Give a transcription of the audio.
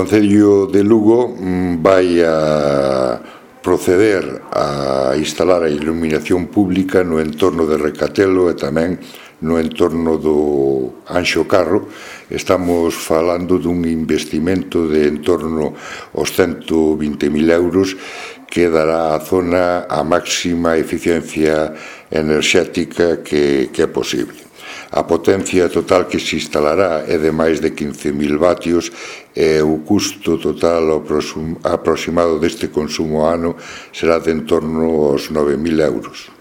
Concello de Lugo vai a proceder a instalar a iluminación pública no entorno de Recatelo e tamén no entorno do Anxo Carro. Estamos falando dun investimento de en torno aos 120.000 euros que dará á zona a máxima eficiencia enerxética que é posible. A potencia total que se instalará é de máis de 15.000 vatios e o custo total aproximado deste consumo ano será de en torno aos 9.000 euros.